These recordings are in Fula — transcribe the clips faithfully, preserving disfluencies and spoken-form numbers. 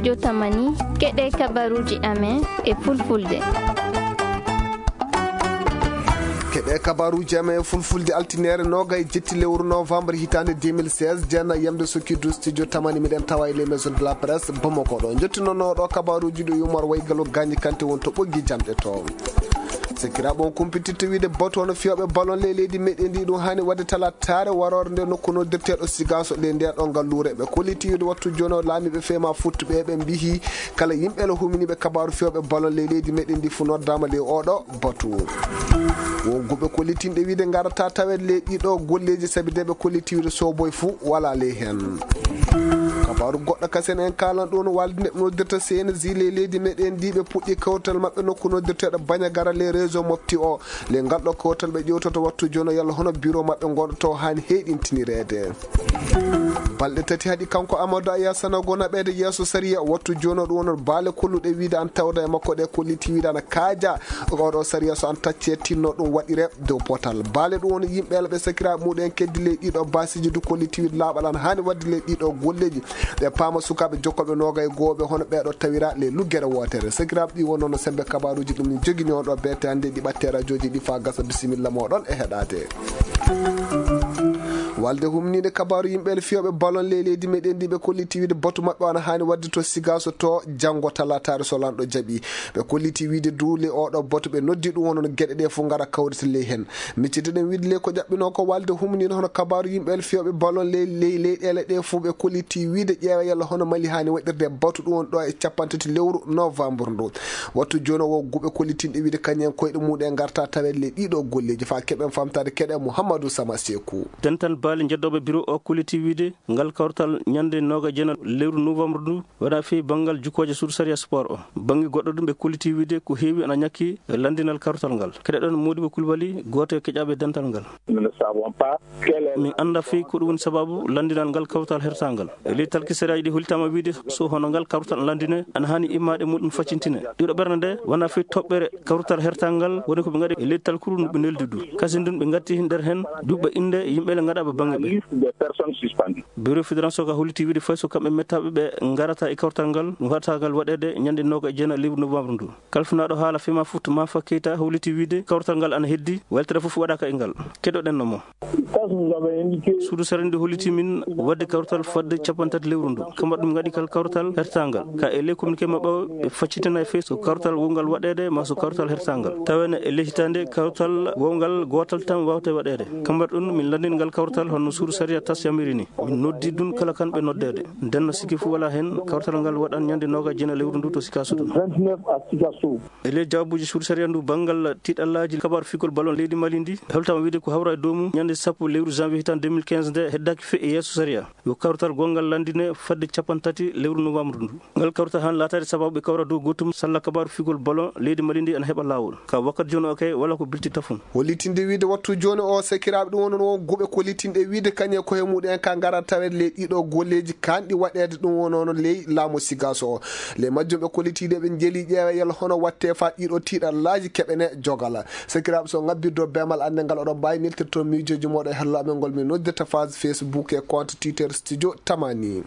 Jotamani, keɗe kabaruuji amen e fulfulde. Keɗe kabaruuji amen e fulfulde, altine noogay e jetti lewru novembre hitaande deux mille seize, jeenay yamde sokki du studio tamani, miɗen tawa e les maisons de la presse Bamako ɗo. Njettinooɗo kabaruuji ɗo Umar Waygalu Gaañi Kanti won to ɓoggi jamɗe to. Sakiraaɓe, on kumpitirta wiide batu hono fiyooɓe ballon ley leydi meɗen ndi, ɗum haani waɗde talataare waroore nde nokku noddirteeɗo Sigaso ley nde ɗo ngalluure. Ɓe kolliti wiide wattu jooni o laamiiɓe fema futtuɓe ɓe mbiyi kala yimɓe la huminiiɓe kabaaru fiyooɓe ballon ley leydi meɗen ndi fu noddaama ley oɗo batu. Won guɓe kollitinɗe wiide ngarata taweede ley ɗiɗo golleeji sabi de ɓe kolliti wiide soboy fu wala ley heen. Kabaaru goɗɗo kasen en kaalan ɗum walde nde noddirta C N J ley leydi meɗen ndi, ɓe puɗɗi kawtal maɓɓe nokku noddirteeɗo Bañagara ley réseau mofti o. Ley ngal ɗo kawtal ɓe ƴewtoto wattu jooni yalla hono bureau maɓɓe ngonɗo to haani heyɗintinireede. Balɗe tati haɗi kanko Amadou Aya Sanogo naɓeede yeeso sariya, wattu jooni ɗum wonor baale kolluɗe wiide an tawda e makko ɗe kolliti wiide ana kaaja. Oɗo sariya so an tacce tinno ɗum waɗire dow potal. Baale ɗum woni yimɓe ɓe sakiraaɓe muɗen keddi ley ɗiɗo baasiji du kolliti wiide laaɓal an haani waɗde ley ɗiɗo golleeji. Ɓe paama sukaaɓe jokkoɓe noogay goo ɓe hono ɓeeɗo tawira ley luggere wootere. Sakiraaɓe ɗi wonno no sembe kabaaruuji ɗum ni jogini on ɗo beete hannde ɗi ɓatte rajooji ɗi faa gasa. Bisimilla mooɗon e heɗaade. Walde humniinde kabaaru yimɓe le fiyooɓe ballon ley leydi meɗen ndi ɓe kolliti wiide batu maɓɓe ana haani waɗde to Sigaso to janngo talataare so lanɗo jaɓi. Ɓe kolliti wiide du ley oɗo batu ɓe noddi ɗum wonno no geɗe ɗe fof ngara kawrita ley heen. Miccitiɗen wiide ley ko ƴaɓɓinoo ko walde humniinde hono kabaaru yimɓe le fiyooɓe ballon ley, ley leyɗeele ɗe fof ɓe kolliti wiide ƴeewa yalla hono Mali haani waɗirde batu ɗum woni ɗo e capanɗe tati lewru novembre ndu. Wattu jooni o guɓe kollitinɗe wiide kañum koyɗe muɗum e ngarta taweede ley ɗiɗo golleeji faa keɓen famtaade keɗe Mouhamadou Sama Sekou. Dental baali njeddooɓe bureau o kolliti wiide ngal kawtal ñande nooga jena lewru novembre ndu waɗa fii banngal jukkooje suudu sariya sport o. Bannge goɗɗo ɗum ɓe kolliti wiide ko heewi ana ñakki e lanndinal kawtal ngal. Keɗoɗen Modibo Coulibaly, gooto e keƴaaɓe dental ngal. Nous ne savons pas quel est Min annda fii ko ɗum woni sababu lanndinal ngal kawtal hertangal. E ley talki sariyaaji ɗi hollitaama wiide so hono ngal kawtal lanndine ana haani immaade muɗum faccintine. Ɗiɗo ɓernde nde wona fii toɓɓere kawtal hertangal woni ko ɓe ngaɗi e ley talkuru ndu ɓe neldi du. Kasin ɗum ɓe ngatti nder heen duɓɓe innde yimɓe le ngaɗaaɓe bannge ɓe. Liste des personnes suspendues. Bureau fédéral soka holliti wiide fay so kamɓe mettaaɓe ɓe ngarata e kawtal ngal, ɗum waɗata ngal waɗeede ñande nooga e jeenayi lewru novembre ndu. Kalfinaaɗo haala fema foot Mafa Keita holliti wiide kawtal ngal ana heddi, weltere fof waɗaaka e ngal. Keɗoɗen no mo. Suudu sariya ndu holliti min waɗde kawtal fadde capanɗe tati lewru ndu. Kamɓe ɗum ngaɗi kal kawtal hertangal. Ka e ley communiqué maɓɓe o, ɓe faccitina e fii so kawtal wongal waɗeede ma so kawtal hertangal. Taweede e ley hitaande kawtal wongal gootal tan waawte waɗeede. Kamɓe ɗum min lanndin ngal kawtal hono suudu sariya tas yamiri ni. Min noddi ɗum kala kan ɓe noddeede. Nden no sikki fof wala heen kawtal ngal waɗan ñande nooga jena lewru ndu to Sikaso ɗum. Vingt-neuf à Sikasso. E ley jawaabuuji suudu sariya ndu banngal tiiɗallaaji kabaaru fiigol ballon leydi Mali ndi, holtama wiide ko hawra e doomu ñande sappo lewru janvier hitaande deux mille quinze nde heddaaki fii e yeeso sariya. Yo kawtal gonngal lanndine fadde capanɗe tati lewru novembre ndu. Ngal kawtal han laataade sababu ɓe kawra dow gootum salla kabaaru fiigol ballon leydi Mali ndi ana heɓa laawol. Ka wakkati jooni o kay wala ko bilti tafon. Hollitinde wiide wattu jooni o sakiraaɓe ɗum wonono won guɓe kollitinɗe wiide kañe koye muɗum en ka ngara taweede ley ɗiɗo golleeji kanɗi waɗeede ɗum wonono ley laamu Sigaso o. Ley majjum ɓe kollitiiɗe ɓe njeeli ƴeewa yalla hono watte faa ɗiɗo tiiɗallaaji keɓene jogala. Sakiraaɓe so ngabbirdo beemal annde ngal oɗon mbaawi neltirto miijooji mooɗon e hello amen ngol min noddirta page Facebook e compte Twitter Studio Tamani.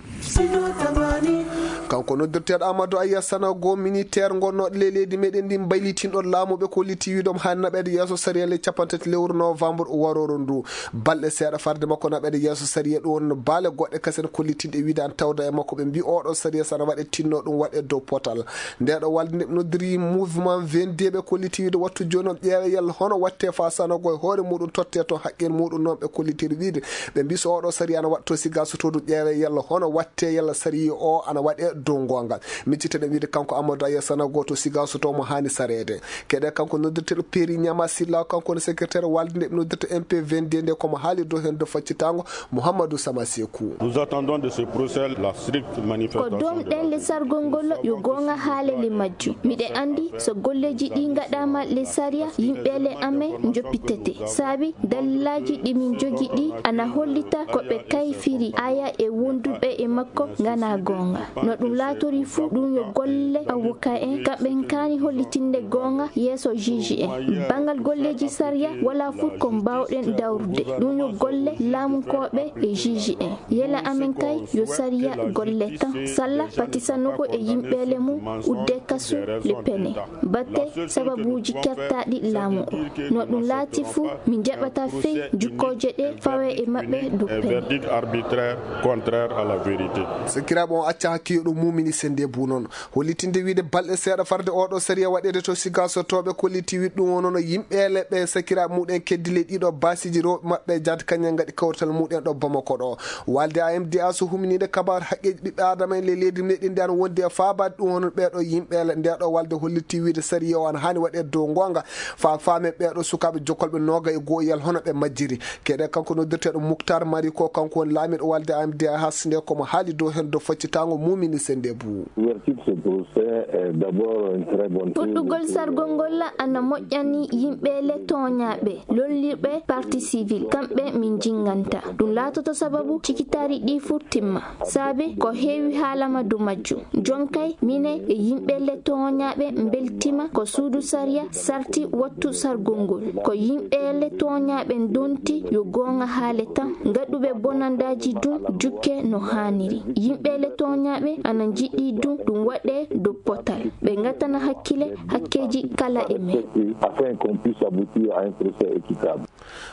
Kanko noddirteeɗo Amadou Aya Sanogo, militaire ngonnooɗo ley leydi meɗen ndi mbaylitinɗo laamu ɓe kolliti wiide omo haani naɓeede yeeso sariya ley capanɗe tati lewru novembre warooru ndu. Balɗe seeɗa farde makko naɓeede yeeso sariya ɗum woni no baale goɗɗe kasen kollitinɗe wiide an tawda e makko ɓe mbi oɗo sariya sana waɗe tinno ɗum waɗe dow potal. Nde ɗo walde nde ɓe noddiri mouvement vingt-deux ɓe kolliti wiide wattu jooni o ƴeewe yalla hono watte faa Sanogo e hoore muɗum totte to haqqil muɗum noon ɓe kollitiri wiide ɓe mbi so oɗo sariya ana waɗto Sigaso to ɗum ƴeewe yalla hono watte yalla sariya o ana waɗe dow ngongal. Micciteɗen wiide kanko Amadou Aya Sanogo to Sigaso to mo haani sareede. Keɗe kanko noddirteɗo Peri Ñama Silla kanko woni secrétaire walde nde ɓe noddirta M P vingt-deux nde komo haali dow heen dow faccitango Mouhamadou Sama Sekou. Nous attendons de ce procès la stricte Ko manifestation doom de la ɗen le sargol ngol yo goonga haale le majjum. Miɗe anndi so golleeji ɗi ngaɗaama le sariya, yimɓe le amen njoppitete. Saabi daliilaaji ɗi min jogi ɗi ana hollita ko ɓe kayfiri Aya e wonduɓe e makko ngana goonga. No Ɗum laatorii fuu, ɗum yo golle avocat en, kamɓe en kaani hollitinde goonga yeeso juge en. Banngal golleeji sariya, walaa fuu ko mbaawɗen dawrude. Ɗum yo golle laamunkooɓe e juge en. Yela amen kay yo sariya golle tan. Salla patisano ko e yimɓeele mum, udde kasu le pene. Batte sababuuji kertaaɗi laamu o. No ɗum laati fuu, min njaɓata fey jukkooje ɗe fawe e maɓɓe dow pene. Verdict arbitraire contraire à la vérité. Sakiraaɓe, on acca hakke yo ɗum mumini sende bu noon. Hollitinde wiide balɗe seeɗa farde oɗo sariya waɗeede to Siga so tooɓe kolliti wiɗ ɗum o noon yimɓeele ɓe sakiraaɓe muɗen keddi le ɗiɗo basiiji rewɓe maɓɓe jaade kañum ngaɗi kawrital muɗen ɗo Bamako ɗo. Walde A M D A so huminiinde kabaar haqqeeji ɓiɓɓe Aadama en le leydi meɗen ndi an wondi e faabaade ɗum hono ɓeeɗo yimɓe le ndeeɗo walde hollitii wiide sariya o an haani waɗeede dow ngoonga. Fa faamen ɓeeɗo sukaaɓe jokkolɓe nooga e goo yal hono ɓe majjiri. Keɗe kanko noddirteeɗo Muktar Mari ko kanko woni laamiiɗo walde A M D A hasnde komo haali dow heen dow faccitaango mumini sende bu. Ouverture ce procès est d'abord une très bonne chose. Fuɗɗugol sargol ngol ana moƴƴani yimɓe le tooñaaɓe, lollirɓe partie civile, kamɓe min jinnganta. Ɗum laatoto sababu cikitaari ɗi fuu timma. Saabe ko heewi haalama dow majjum. Jonkay mine e yimɓe le tooñaaɓe mbeltima ko suudu sariya sarti wattu sargol ngol. Ko yimɓe le tooñaaɓe ndonti yo goonga haale tan. Ngaɗuɓe bonandaaji dum jukke no haaniri. Yimɓe le tooñaaɓe ana njiɗi dum ɗum waɗe dow potal. Ɓe ngatana hakkile hakkeeji kala e men. Afin qu'on puisse aboutir à un procès équitable.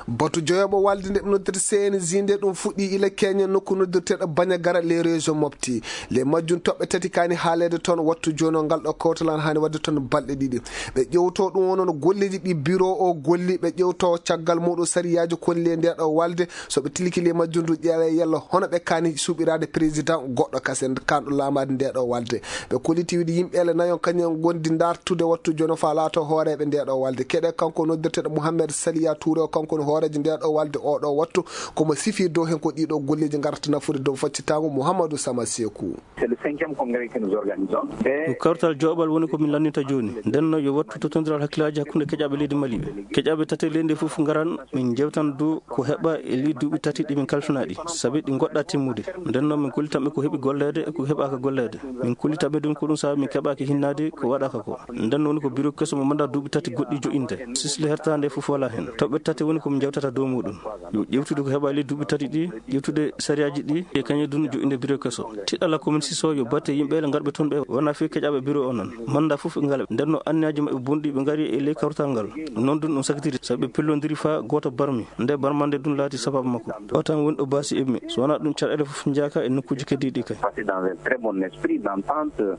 Batu joyoɓo walde nde ɓe noddirta C N J nde ɗum fuɗɗi ila Kenya nokku noddirteɗo Bandiagara les régions Mopti. Le majjum toɓɓe tati kaani haaleede toon wattu jooni o ngal ɗo kawtal an haani waɗde toon balɗe ɗiɗi. Ɓe ƴewto ɗum o noon golleeji ɗi bureau o golli, ɓe ƴewto caggal muɗum sariyaaji koni le nde ɗo walde. So ɓe tilki le majjum ndu ƴeewe yalla hono ɓe kaani suɓiraade président goɗɗo kasen kanɗo laamaade nde ɗo walde. Ɓe kolliti wiide yimɓe ele nayon kañum en gondi dartude wattu jooni o faa laato hooreeɓe nde ɗo walde. Keɗe kanko noddirteɗo Mouhamed Saliya Touré o kanko woni hooreejo nde ɗo walde o ɗo wattu. Komo sifi dow heen ko ɗiɗo golleeji ngarata nafude dow faccitaango Mouhamadou Sama Sekou. C'est le cinquième congrès que nous organisons. Ko kawtal joɓal woni ko min lanninta jooni. Nden no yo wattu tottondiral hakkillaaji hakkunde keƴaaɓe leydi Mali ɓe. Keƴaaɓe tate leydi fof ngaran min jewtan dow ko heɓa e ley duuɓi tati ɗi min kalfinaɗi. Sabi ɗi goɗɗa timmude. Nden no min gollitan ɓe ko heɓi golleede e ko heɓaaka golleede. Min kollita ɓe ɗum ko ɗum sabi min keɓaaki hinnaade ko waɗaaka ko. Nden no woni ko bureau keso mo manda duuɓi tati goɗɗi jo'inde. Sisle hertande fof wala heen. Toɓɓe tati woni ko min jewtata dow muɗum. Yo ƴewtude ko heɓa e ley duuɓi tati ɗi. Ƴettude sariyaaji ɗi e kañum dun jo'inde bureau keso. Tiɗɗala komin siso yo batte yimɓe le ngarɓe toon ɓe wona fii keƴaaɓe bureau o noon. Manda fof ɓe ngala. Nden no anniyaaji maɓɓe bonɗi ɓe ngari e ley kawrital ngal. Noon dun ɗum sakitiri sabi ɓe pellondiri faa gooto barmi. Nde barmande dun laati sababu makko. O tan woni ɗo baasi immi. So wona ɗum caɗeele fof njaaka e nokkuuji keddiiɗi kay. Passé dans un très bon esprit d'entente.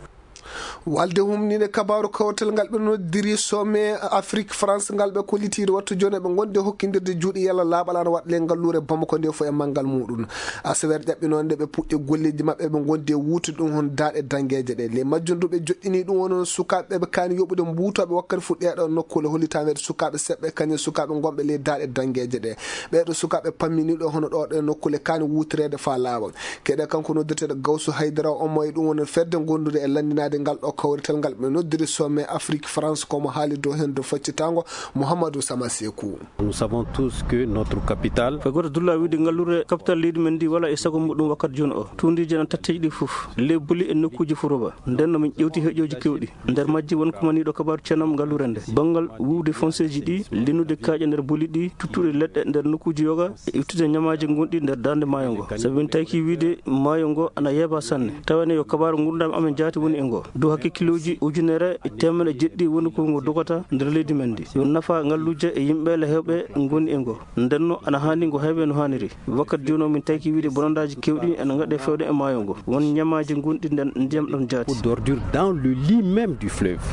Walde humniinde kabaaru kawtal ngal ɓe noddiri sommet Afrique France ngal ɓe kollitiiɗo wattu jooni ɓe ngondi e hokkindirde juuɗe yalla laaɓal ana waɗa le ngalluure Bamako nde fof e manngal muɗum. Asaweere ƴaɓɓinoonde ɓe puɗɗi golleeji maɓɓe ɓe ngondi e wuutude ɗum hono daaɗe danngeeje ɗe. Le majjum du ɓe joɗɗini ɗum woni sukaaɓe ɓe kaani yoɓude mbuutooɓe wakkati fu ɗeeɗo nokkuule hollitaande sukaaɓe seɓɓe kañum sukaaɓe ngonɓe ley daaɗe danngeeje ɗe. Ɓeeɗo sukaaɓe pamminiiɗo hono ɗo ɗe nokkuule kaani wuutireede faa laaɓa. Keɗe kanko noddirteeɗo Gawsu Haydara o mo e ɗum woni fedde gondude e lanndinaade ngal ɗo kawrital ngal ɓe noddiri sommet Afrique France komo haali dow heen dow faccitaango Mouhamadou Sama Sekou. Nous savons tous que notre capitale. Ko goto dulla wiide ngallure capital leydi men ndi wala e sago muɗum wakkati jooni o. Tuundiji en tatteji ɗi fof. Lebbuli e nokkuuji fof roba. Nden no min ƴewti heƴooji kewɗi. Nder majji won kumaniiɗo kabaaru ceenam ngalluure nde. Banngal wuwde fonseeji ɗi, linnude kaaƴe nder buli ɗi, tuttude leɗɗe nder nokkuuji yoga, e ittude ñamaaji gonɗi nder darnde maayo ngo. Sabi min tawki wiide maayo ngo ana yeeba sanne. Tawene yo kabaaru ngurndan amen jaati woni e ngo. Dow hakke kilooji ujunere e teemedde jeɗɗi woni ko ngo dogata nder leydi men ndi. Yo nafa ngalluje e yimɓe le heewɓe ngoni e ngo. Nden no ana haani ngo heewe no haaniri. Wakkati jooni o min tawki wiide bonandaaji kewɗi ene ngaɗe fewde e maayo ngo. Won ñamaaji gonɗi nden ndiyam ɗam jaati. D'ordures dans le lit même du fleuve.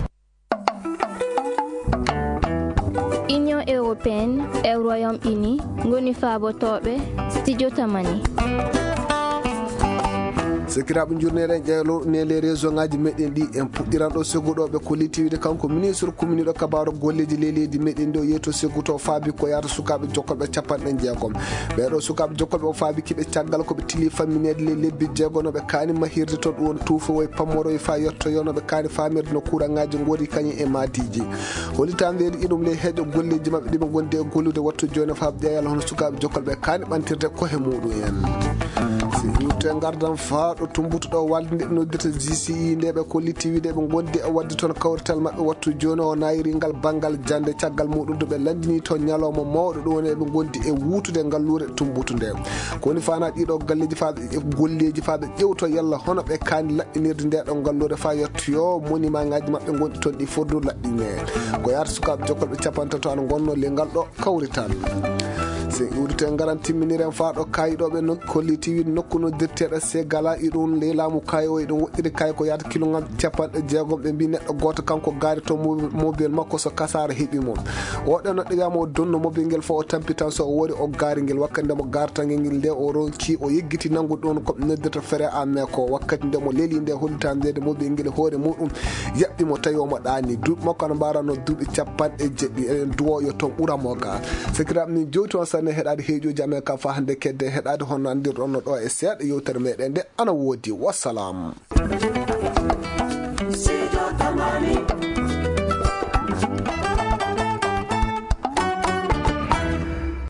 Union européenne e Royaume-Uni ngoni faabotooɓe studio Tamani. Sakiraaɓe, njurnere en ƴeewlo ne les région ngaji meɗen ɗi en puɗɗiran ɗo segguɗo ɓe ko litiwide kanko ministre kuminiɗo kabaaru golleeji ley leydi meɗen ɗo yeeto segguto faabi ko yaata sukaaɓe jokkolɓe capanɗe jeegom. Ɓeeɗo sukaaɓe jokkolɓe o faabi kiɓe caggal ko ɓe tili fammineede ley lebbi jeegonoɓe kaani mahirde to ɗum woni tuufowoy pammoroy fa yettoyonoɓe kaani faamirde no kuuranŋaaji ngori kañum e maadiiji. Hollitaa mbeeri iɗum ley heeƴo golleeji maɓɓe ɗi ɓe ngondi e gollude wattu jooni faabi ƴeeyal hono sukaaɓe jokkolɓe kaani ɓantirde kohe muɗum en. Si iwte ngardan faa ɗo tumbutu ɗo walde nde ɓe noddirta G C E nde ɓe kolliti wiide ɓe ngondi e waɗde toon kawrital maɓɓe wattu jooni o nayri ngal banngal jannde caggal muɗum to ɓe lanndini toon ñalawma mawɗo ɗum woni eɓe ngondi e wuutude ngalluure tumbutu nde. Ko woni faana ɗiɗo galleeji faa ɓe golleeji faa ɓe ƴewto yalla hono ɓe kaani laɓɓinirde nde ɗo ngalluure faa yettoyo monimaŋaaji maɓɓe ngonɗi toon ɗi fof du laɓɓine. Ko yaata sukaaɓe jokkolɓe capantato ana ngonno le ngal ɗo kawrital. Si en iwdite ngaran timminiren faa ɗo kaayiɗooɓe no kolliti wiide nokku no dirteeɗo Segala iɗum ley laamu kaayi o iɗum woɗɗiri kaayi ko yaata kilongal capanɗe jeegom ɓe mbi neɗɗo gooto kanko gaari to mobil makko so kasaara heɓi mo. Oɗo no ɗeɓama o donno mobil ngel fo o tampi tan so o wori o gaari ngel wakkati nde mo gaartangel ngel nde o ronki o yeggiti nanngu ɗum ko ɓe noddirta fere a me ko wakkati nde mo leli nde hollitande nde mobil ngel hoore muɗum yaɓɓi mo tawi omo ɗaani duuɓi makko ana mbaranno duuɓi capanɗe jeɗɗi eɗen duwo yo toon ɓuramo ga. Sakiraaɓe min jowti on sanne heɗaade heeƴuji amen ka fa hannde kedde heɗaade honno anndirɗonno ɗo e seeɗa yewtere meɗen nde ana woodi wassalam.